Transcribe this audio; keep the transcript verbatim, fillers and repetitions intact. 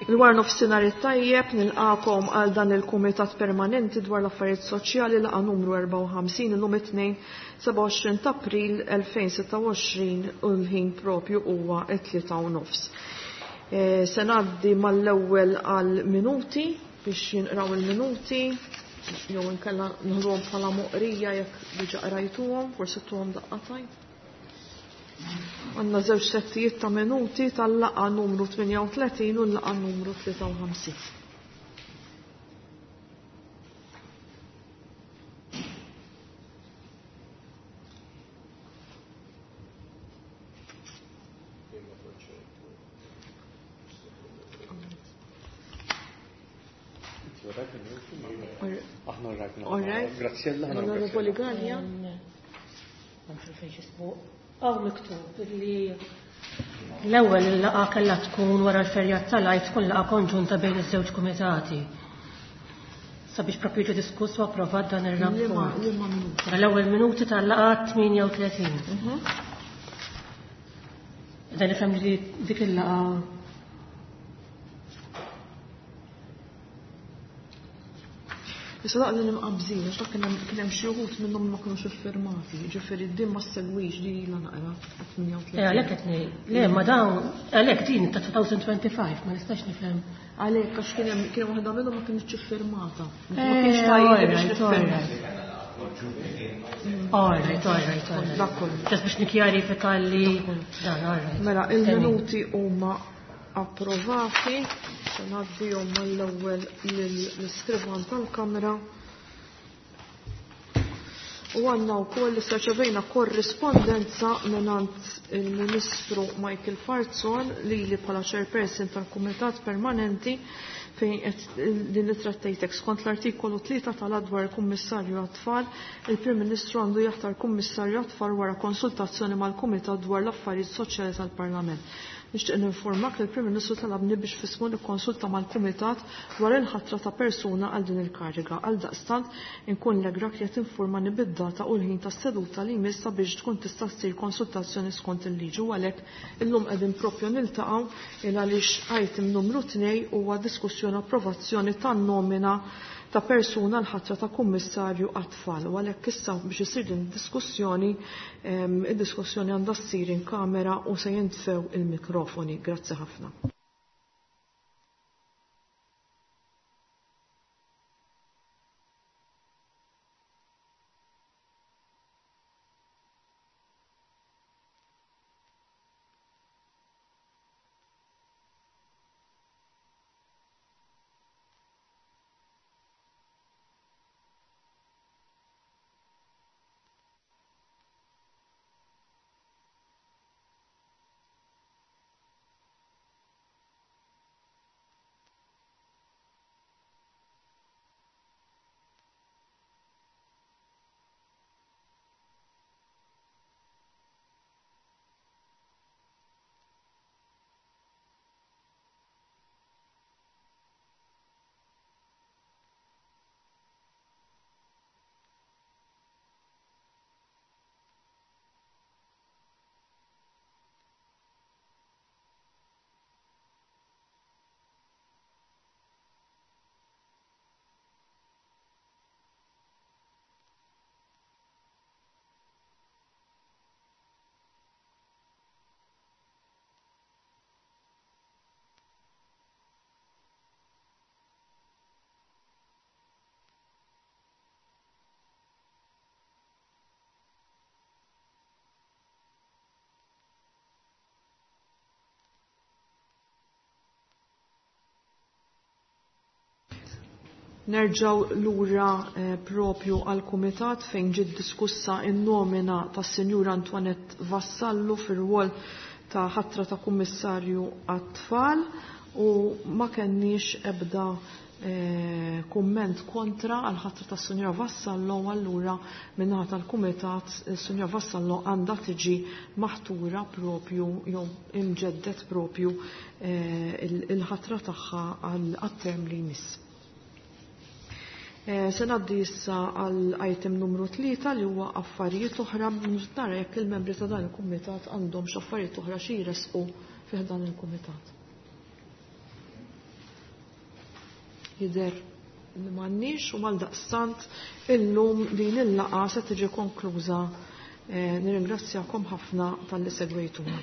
Il-war nofsinhar it-tajjeb nilqakom għal dan il-Kumitat Permanenti dwar l-Affarijiet Soċjali laqa numru erbgħa u ħamsin illum it-tnejn sebgħa u għoxrin ta' April elfejn sitta u għoxrin u l-ħin propju huwa t-tlieta u nofs. E, se ngħaddi mal-ewwel għal minuti biex jinqraw il-minuti jew inkella nħruhom bħala moqrija jekk diġà qrajtuhom, forsi tuhom daqqatajn. Għandna żewġ settijiet ta' minuti tal-laqgħa numru tmienja u tletin u l-laqgħa numru tlieta u ħamsin. All right. Graziella, Onorevoli Gallia. Għaw miktub li l-ewwel il-laqgħa kellha tkun wara l-ferjat tal-Għid tkun laqgħa konġunta bejn iż-żewġ kumitati. Sabiex propju ġie diskuss u approvat dan ir-rapport. L-ewwel minuti tal-laqgħa tmienja u tletin. Dan nifhem li dik il-laqgħa Issa daqqa li nimqabżin, għax dak kien hemm xi wħud minnhom ma kinux iffirmati, jiġifieri din ma ssegwix di ilha naqra tmienja u tletin. Eh, għalhekk qed ngħid. Le, ma dawn għalhekk din ta' two thousand twenty-five ma nistax nifhem. Għalhekk għax kien hemm kien waħda minnhom ma kinitx iffirmata. Ma kienx tajjeb biex nifhem. All right, all right, all right. Dak kollu. Just biex nikkjarifika li dan, all right. Mela, il-minuti huma approvati. Se ngħaddihom mal-ewwel lill-iskrivan tal-Kamra. U għandna wkoll issa ċevejna korrispondenza mingħand il-Ministru Michael Falzon lili bħala chairperson tal-Kumitat Permanenti fejn qed din li trattejtek skont l-artikolu tlieta tal-adwar il-Kummissarju għat-Tfal, il-Prim Ministru għandu jaħtar Kummissarju għat-Tfal wara konsultazzjoni mal-Kumitat dwar l-Affarijiet Soċjali tal-Parlament. Nixtieq ninformak li l-Prim Ministru talabni biex fismu nikkonsulta mal-Kumitat dwar il-ħatra ta' persuna għal din il-kariga. Għal daqstant inkun legrak li qed informani bid-data u l-ħin tas-seduta li jmiss sabiex tkun tista' ssir konsultazzjoni skont il-liġi u għalhekk illum qegħdin propju niltaqgħu il għaliex item numru tnejn huwa diskussjoni approvazzjoni tan-nomina ta' persuna l-ħatra ta' kummissarju għat-tfal. U għalhekk issa biex isir din id-diskussjoni, ehm, id-diskussjoni għandha ssir in kamera u se jintfew il-mikrofoni. Grazzi ħafna. Nerġaw lura, eh, propju għal-Kumitat fejn ġiet diskussa n-nomina tas-Sinjura Antoinette Vassallo fir-rwol ta' ħatra ta' Kummissarju għat-tfal u ma kenniex ebda eh, kumment kontra għal ħatra tas Sunja Vassallo, allura min-naħa tal-Kumitat Sunja Vassallo għandha tiġi maħtura propju jew imġeddet propju eh, il-ħatra tagħha għal term li jmiss. Eh, se ngħaddi issa għal item numru tlieta li huwa affarijiet oħra. Nara jekk il-membri ta' dan il-kumitat għandhom x'affarijiet oħra xi jresqu fih dan il-kumitat. Jidher li m'għandniex u għaldaqstant illum din il-laqgħa se tiġi konkluża. Eh, nirringrazzjakom ħafna talli segwejtuna.